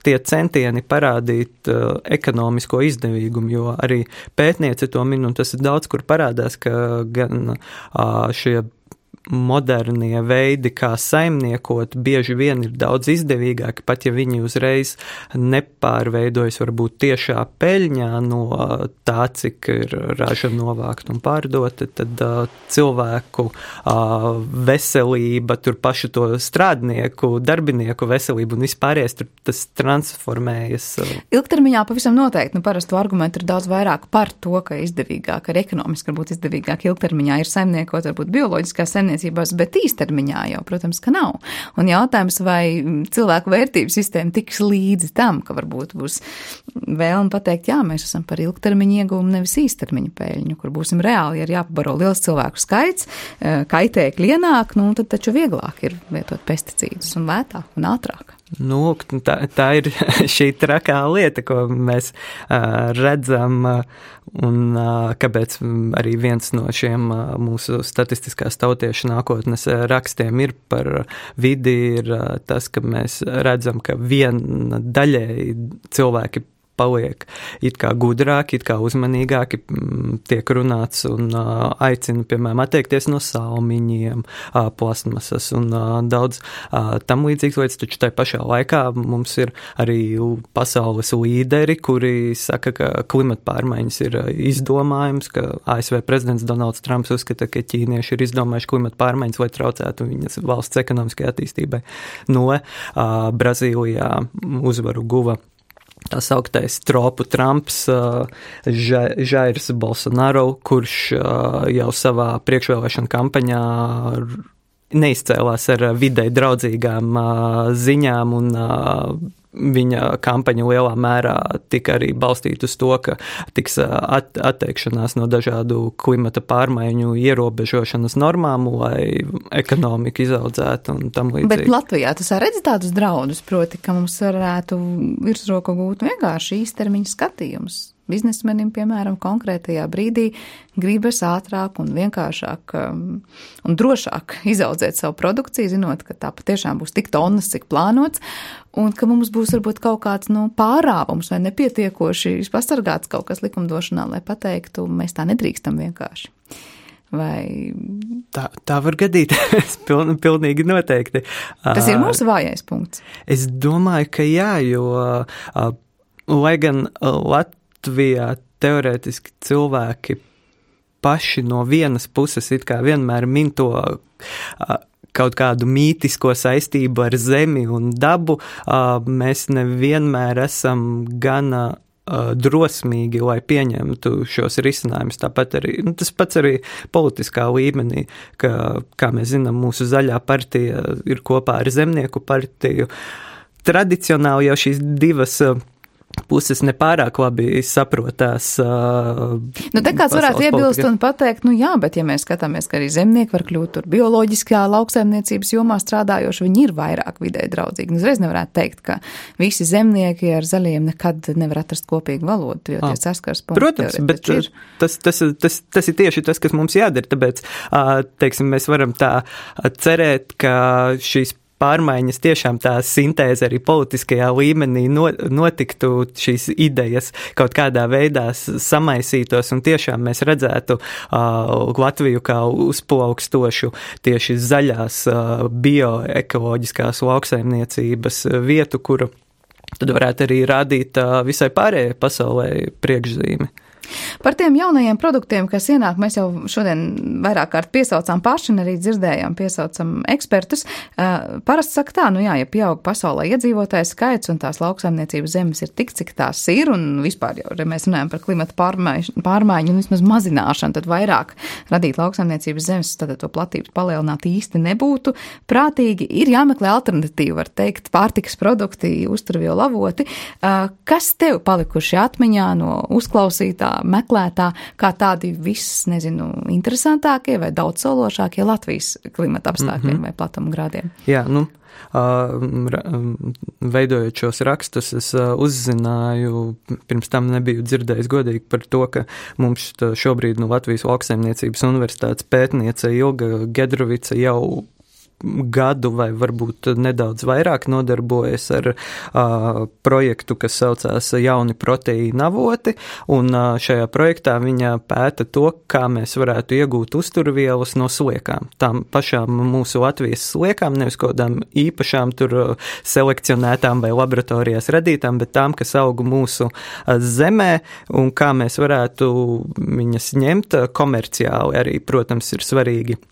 tie centieni parādīt ekonomisko izdevīgumu, jo arī pētniece to min, un tas ir daudz, kur parādās, ka gan šie modernie veidi, kā saimniekot, bieži vien ir daudz izdevīgāki, pat ja viņi uzreiz nepārveidojas varbūt tiešā peļņā no tā, cik ir raža novākt un pārdota, tad cilvēku veselība, tur pašu to strādnieku, darbinieku veselību un vispārējais, tur tas transformējas. Ilgtermiņā pavisam noteikti, parastu argumentu ir daudz vairāk par to, ka izdevīgāk, arī ekonomiski varbūt izdevīgāk ilgtermiņā ir saimniekot, varbūt bioloģiskā saimniecības, bet īstermiņā jau, protams, ka nav. Un jautājums, vai cilvēku vērtības sistēma tiks līdzi tam, ka varbūt būs vēlme pateikt, jā, mēs esam par ilgtermiņu ieguvumu, nevis īstermiņu peļņu, kur būsim reāli, ja jāpabaro liels cilvēku skaits, kaitēkļi ienāk, tad taču vieglāk ir lietot pesticīdus un lētāk un ātrāk. Tā ir šī trakā lieta, ko mēs redzam, un kāpēc arī viens no šiem mūsu statistiskās tautiešu nākotnes rakstiem ir par vidi, ir tas, ka mēs redzam, ka viena daļēji cilvēki paliek it kā gudrāki, it kā uzmanīgāki, tiek runāts un aicina, piemēram, atteikties no salmiņiem, plastmasas un daudz tam līdzīgas lietas, taču tai pašā laikā mums ir arī pasaules līderi, kuri saka, ka klimata pārmaiņas ir izdomājums, ka ASV prezidents Donalds Trumps uzskata, ka ķīnieši ir izdomājuši klimata pārmaiņas, lai traucētu viņas valsts ekonomiskajai attīstībai. Brazīlijā uzvaru guva tā sauktais tropu Trumps, Jairs Bolsonaro, kurš jau savā priekšvēlēšana kampaņā neizcēlās ar videi draudzīgām ziņām, un viņa kampaņa lielā mērā tika arī balstīta uz to, ka tiks atteikšanās no dažādu klimata pārmaiņu ierobežošanas normām, lai ekonomika izaudzētu un tam līdzīgi. Bet Latvijā tu redzi tādus draudus, proti, ka mums varētu virsroku gūt vienkārši īstermiņa skatījums. Biznesmenim, piemēram, konkrētajā brīdī gribas ātrāk un vienkāršāk un drošāk izaudzēt savu produkciju, zinot, ka tā patiešām būs tik tonnas, cik plānots, un ka mums būs varbūt kaut kāds pārāvums vai nepietiekoši pasargāts kaut kas likumdošanā, lai pateiktu, mēs tā nedrīkstam vienkārši. Vai... Tā var gadīties, pilnīgi noteikti. Tas ir mūsu vājais punkts. Es domāju, ka jā, jo lai gan Latvijā teorētiski cilvēki paši no vienas puses it kā vienmēr min to kaut kādu mītisko saistību ar zemi un dabu, mēs nevienmēr esam gana drosmīgi, lai pieņemtu šos risinājumus. Tāpat arī, tas pats arī politiskā līmenī, ka, kā mēs zinām, mūsu zaļā partija ir kopā ar zemnieku partiju. Tradicionāli jau šīs divas puses nepārāk labi saprotās. Te kāds varētu iebilst un pateikt, jā, bet ja mēs skatāmies, ka arī zemnieki var kļūt tur bioloģiskā lauksaimniecības jomā strādājoši, viņi ir vairāk vidē draudzīgi. Uzreiz nevarētu teikt, ka visi zemnieki ar zaļiem nekad nevar atrast kopīgu valodu, jo tie saskars punkti. Protams, bet tas ir tieši tas, kas mums jādara, tāpēc, teiksim, mēs varam tā cerēt, ka šīs pārmaiņas, tiešām tā sintēze arī politiskajā līmenī notiktu, šīs idejas kaut kādā veidā samaisītos un tiešām mēs redzētu Latviju kā uzplaukstošu tieši zaļās bioekoloģiskās lauksaimniecības vietu, kuru tad varētu arī rādīt visai pārējai pasaulē priekšzīmi. Par tiem jaunajiem produktiem, kas ienāk, mēs jau šodien vairāk kārt piesaucām paši un arī dzirdējām, piesaucam ekspertus. Parasti saka tā, ja pieaug pasaulē iedzīvotāju skaits un tās lauksaimniecības zemes ir tik, cik tās ir, un vispār jau, ja mēs runājam par klimata pārmaiņu un vismaz mazināšanu, tad vairāk radīt lauksaimniecības zemes, tad to platības palielināt īsti nebūtu prātīgi. Ir jāmeklē alternatīva, var teikt, pārtikas produkti, uzturvielu avoti. Kas tev palikuši atmiņā no uzklausītā, meklētā, kā tādi interesantākie vai daudzsološākie Latvijas klimata apstākļiem vai platumgrādiem? Jā, veidojot šos rakstus, es uzzināju, pirms tam nebiju dzirdējis godīgi par to, ka mums šobrīd Latvijas Lauksaimniecības universitātes pētniece Ilga Gedrovica jau gadu vai varbūt nedaudz vairāk nodarbojas ar projektu, kas saucās Jauni proteīna avoti, un šajā projektā viņa pēta to, kā mēs varētu iegūt uzturvielas no sliekām. Tām pašām mūsu Latvijas sliekām, nevis kādām īpašām tur selekcionētām vai laboratorijās radītām, bet tām, kas aug mūsu zemē, un kā mēs varētu viņas ņemt komerciāli arī, protams, ir svarīgi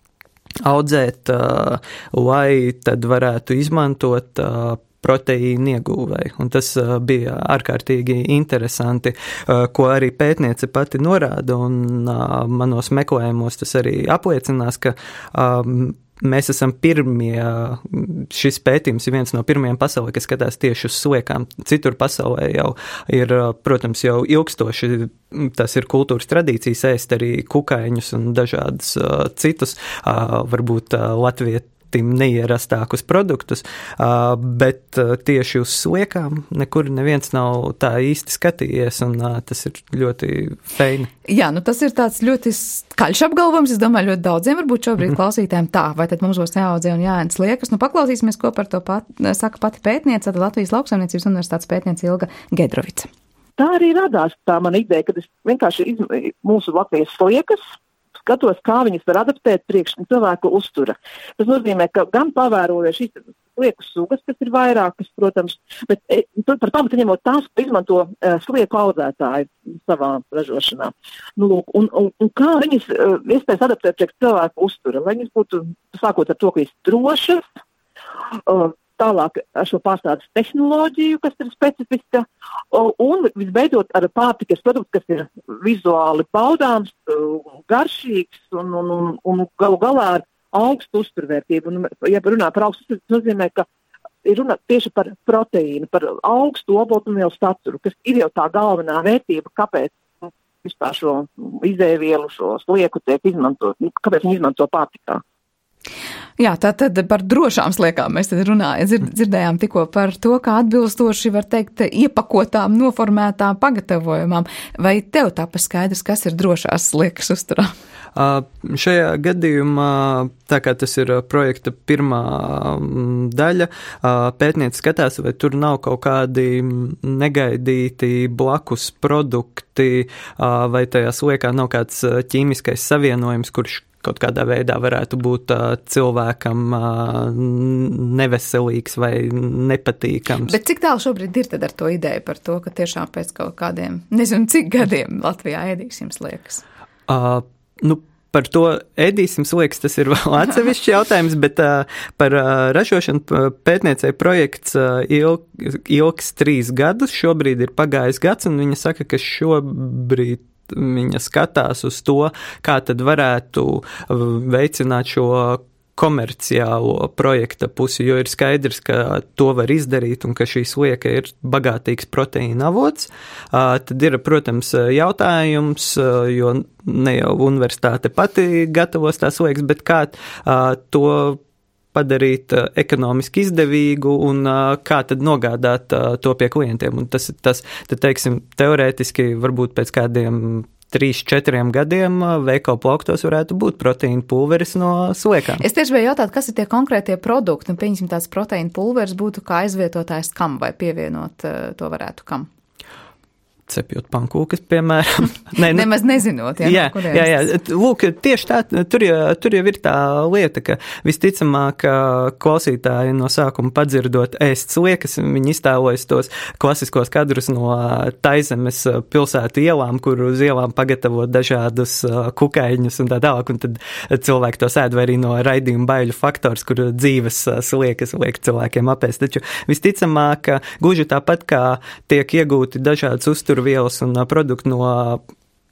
audzēt, lai tad varētu izmantot proteīnu ieguvai. Un tas bija ārkārtīgi interesanti, ko arī pētniece pati norāda, un manos meklējumos tas arī apliecinās, ka mēs esam pirmie, šis pētījums ir viens no pirmajiem pasaulē, kas skatās tieši uz sliekām. Citur pasaulē jau ir, protams, jau ilgstoši, tas ir kultūras tradīcijas ēst arī kukaiņus un dažādus citus, varbūt latvietim neierastākus produktus, bet tieši uz sliekām nekur neviens nav tā īsti skatījies, un tas ir ļoti feini. Jā, tas ir tāds ļoti skaļš apgalvojums, es domāju, ļoti daudziem varbūt šobrīd klausītājiem tā, vai tad mums būs jāaudzē un jāēd sliekas. Paklausīsimies, ko par to saka pati pētniece, tad Latvijas Lauksaimniecības universitātes pētniece Ilga Gedrovica. Tā arī radās tā mana ideja, kad es vienkārši mūsu Latvijas sliekas skatos, kā viņas var adaptēt priekš cilvēku uztura. Tas nozīmē, ka gan pavērojot šīs slieku sugas, kas ir vairākas, protams, bet par pamatu ņemot tās, ko izmanto slieku audzētāji savā ražošanā. Un kā viņas iespējas adaptēt priekš cilvēku uztura, lai viņas būtu, sākot ar to, ka viņas drošas, tālāk ar šo pārstādes tehnoloģiju, kas ir specifiska, un visbeidzot ar pārtikas produktu, kas ir vizuāli baudāms, garšīgs un galu galā ar augstu uzturvērtību. Un, ja runā par augstu, tas nozīmē, ka ir runa tieši par proteīnu, par augstu olbaltumvielu saturu, kas ir jau tā galvenā vērtība, kāpēc vispār šo izēvielu, šo slieku tiek izmantot, kāpēc viņi izmanto pārtikā. Jā, tātad par drošām sliekām mēs tad runājam, dzirdējām tikko par to, kā atbilstoši, var teikt, iepakotām, noformētām pagatavojumām. Vai tev tāpēc skaidrs, kas ir drošās sliekas uzturā? Šajā gadījumā, tā kā tas ir projekta pirmā daļa, pētniece skatās, vai tur nav kaut kādi negaidīti blakus produkti, vai tajā sliekā nav kāds ķīmiskais savienojums, kurš kaut kādā veidā varētu būt cilvēkam neveselīgs vai nepatīkams. Bet cik tālu šobrīd ir tad ar to ideju par to, ka tiešām pēc kaut kādiem, nezinu cik gadiem Latvijā ēdīsim sliekas? Par to ēdīsim sliekas, tas ir vēl atsevišķs jautājums, bet par ražošanu pētniecei projekts ilgs 3 gadus, šobrīd ir pagājis gads, un viņa saka, ka šobrīd viņa skatās uz to, kā tad varētu veicināt šo komerciālo projekta pusi, jo ir skaidrs, ka to var izdarīt un ka šī slieka ir bagātīgs proteīna avots. Tad ir, protams, jautājums, jo ne jau universitāte pati gatavos tās sliekas, bet kā to padarīt ekonomiski izdevīgu un kā tad nogādāt to pie klientiem. Un tad, teiksim, teorētiski varbūt pēc kādiem 3-4 gadiem veikalu plauktos varētu būt proteīna pulveris no sliekām. Es tieši biju jautāt, kas ir tie konkrētie produkti, un pieņemsim tāds proteīna pulveris būtu kā aizvietotājs kam vai pievienot to varētu kam? Cepjot pankūkas, piemēram. Nemaz nezinot, jā. Lūk, tieši tā, tur jau ir tā lieta, ka visticamāk klausītāji no sākuma padzirdot ēst sliekas, viņi iztēlojas tos klasiskos kadrus no Taizemes pilsētu ielām, kur uz ielām pagatavo dažādus kukaiņus un tā tālāk, un tad cilvēki to sēd, vai arī no raidījuma Baiļu faktors, kur dzīves sliekas liek cilvēkiem apēst. Taču visticamāk, gluži tāpat kā tiek iegūti dažādas uzturvielas un produkti no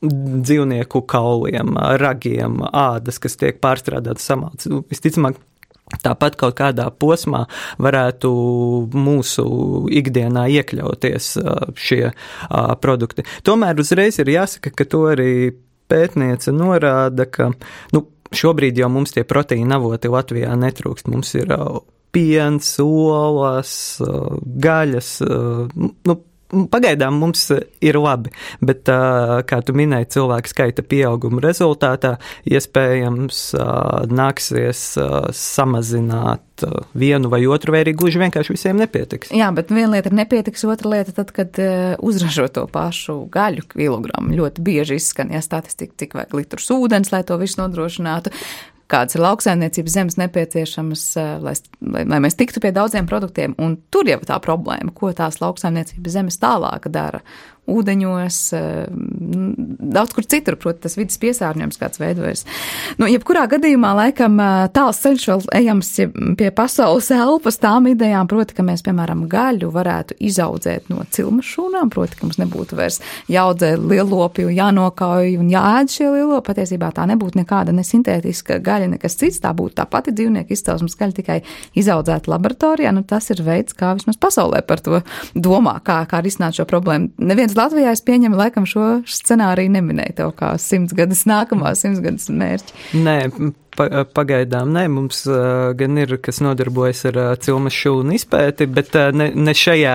dzīvnieku kauliem, ragiem, ādas, kas tiek pārstrādātas samalts. Visticamāk, tāpat kaut kādā posmā varētu mūsu ikdienā iekļauties šie produkti. Tomēr uzreiz ir jāsaka, ka to arī pētniece norāda, ka šobrīd jau mums tie proteīna avoti Latvijā netrūkst. Mums ir piens, olas, gaļas, pagaidām mums ir labi, bet, kā tu minēji, cilvēku skaita pieauguma rezultātā iespējams nāksies samazināt vienu vai otru, vai arī gluži vienkārši visiem nepietiks. Jā, bet viena lieta ir nepietiks, otra lieta tad, kad uzražo to pašu gaļu kilogramu. Ļoti bieži izskan, statistika, cik vajag litrus ūdens, lai to visu nodrošinātu. Kādas ir lauksaimniecības zemes nepieciešamas, lai mēs tiktu pie daudziem produktiem. Un tur jau tā problēma, ko tās lauksaimniecības zemes tālāk dara. Ūdeņos, daudz kur citur, proti, tas vidas piesārņojums kāds veidojas. Jebkurā gadījumā, laikam, tāls ceļš vēl ejams pie pasaules elpas tām idejām, proti, ka mēs, piemēram, gaļu varētu izaudzēt no cilmes šūnām, proti, ka mums nebūtu vairs jāaudzē lielopi un jānokauj un jāēd šie lielopi. Patiesībā tā nebūtu nekāda nesintētiska gaļa, nekas cits, tā būtu tā pati dzīvnieku izcelsmes gaļa, tikai izaudzēta laboratorijā. Tas ir veids, kā vismaz pasaulē par to domā, kā risināt šo problēmu. Neviens Latvijā, es pieņemu, laikam šo scenāriju neminēja tev kā 100 gadus mērķi. Nē, pagaidām nē, mums gan ir, kas nodarbojas ar cilmes šūnu izpēti, bet ne šajā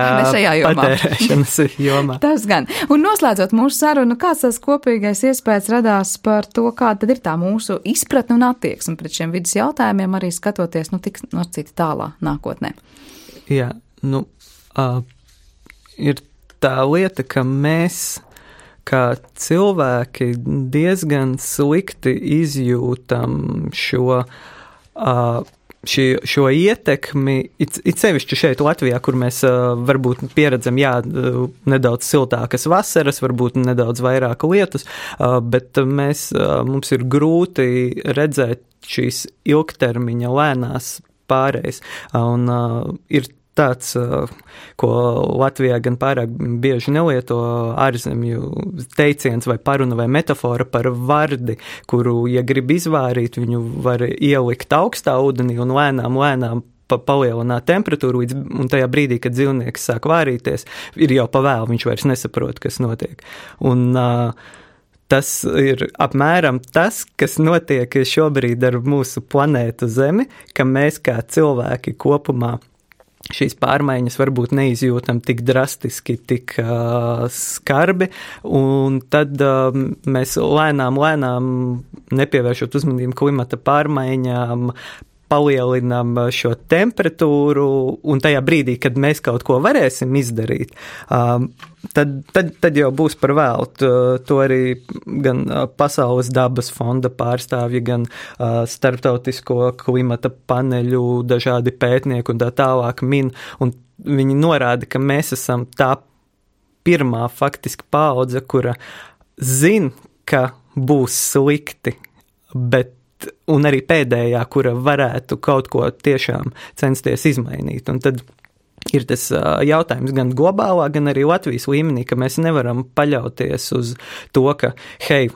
patērēšanas jomā. Tas gan. Un noslēdzot mūsu sarunu, kāds tas kopīgais iespējas radās par to, kāda tad ir tā mūsu izpratne un attieksme pret šiem vidas jautājumiem, arī skatoties, tik citi tālā nākotnē? Jā, ir tā lieta, ka mēs, kā cilvēki, diezgan slikti izjūtam šo ietekmi, it sevišķi šeit Latvijā, kur mēs varbūt pieredzam, nedaudz siltākas vasaras, varbūt nedaudz vairāk lietus, bet mums ir grūti redzēt šīs ilgtermiņa lēnās pārējas, un ir tāds, ko Latvijā gan pārāk bieži nelieto ārzemju teiciens vai paruna vai metafora par vardi, kuru, ja grib izvārīt, viņu var ielikt augstā ūdenī un lēnām palielināt temperatūru, un tajā brīdī, kad dzīvnieks sāk vārīties, ir jau pavēlu, viņš vairs nesaprot, kas notiek. Un tas ir apmēram tas, kas notiek šobrīd ar mūsu planētu Zemi, ka mēs kā cilvēki kopumā šīs pārmaiņas varbūt neizjūtam tik drastiski, tik skarbi, un tad mēs lēnām, nepievēršot uzmanību klimata pārmaiņām, palielinām šo temperatūru, un tajā brīdī, kad mēs kaut ko varēsim izdarīt, tad jau būs par vēlu. To arī gan Pasaules dabas fonda pārstāvji, gan starptautisko klimata paneļu dažādi pētnieki un tā tālāk min, un viņi norāda, ka mēs esam tā pirmā faktiski paudze, kura zin, ka būs slikti, un arī pēdējā, kura varētu kaut ko tiešām censties izmainīt. Un tad ir tas jautājums gan globālā, gan arī Latvijas līmenī, ka mēs nevaram paļauties uz to, ka,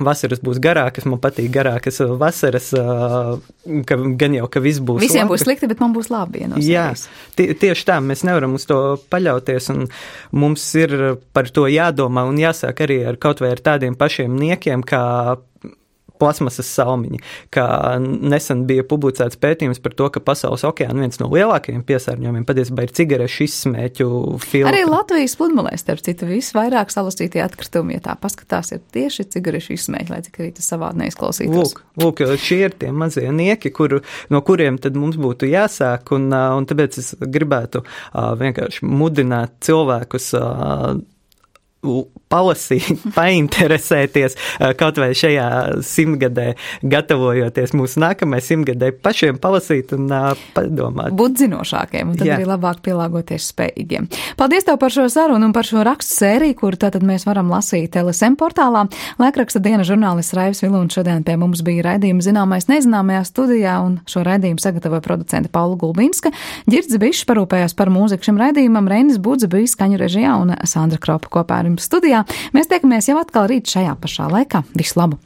vasaras būs garākas, man patīk garākas vasaras, ka gan jau, ka viss būs Visiem labi. Būs slikti, bet man būs labi. Jā, tieši tā, mēs nevaram uz to paļauties, un mums ir par to jādomā un jāsāk arī ar kaut vai ar tādiem pašiem niekiem, kā plasmasas salmiņi, kā nesen bija publicēts pētījums par to, ka pasaules okeāna viens no lielākajiem piesārņojumiem patiesībā ir cigarešu izsmēķu filtri. Arī Latvijas pludmalēs, starp citu, visvairāk salasītie atkritumi, ja tā paskatās, ir tieši cigarešu izsmēķi, lai cik arī tas savādi neizklausītos. Lūk, šie ir tie mazie nieki, no kuriem tad mums būtu jāsāk, un tāpēc es gribētu vienkārši mudināt cilvēkus palasīt, painteresēties kaut vai šajā 100-gadē, gatavojoties mūsu nākamajai 100-gadē, pašiem palasīt un padomāt. Būt zinošākiem un tad arī labāk pielāgoties spējīgiem. Paldies tev par šo sarunu un par šo rakstu sēriju, kur tātad mēs varam lasīt LSM portālā. Laikraksta dienas žurnālists Raivis Vilūns šodien pie mums bija raidījuma Zināmais nezināmajā studijā, un šo raidījumu sagatavoja producente Paula Gulbinska. Ģirds Bišs parūpējās par mūziku šim raidījumam, Reinis Budze bija skaņu režijā un Sandra Kropa kopā ar jums studijā. Mēs tiekamies jau atkal rīt šajā pašā laikā. Visu labu!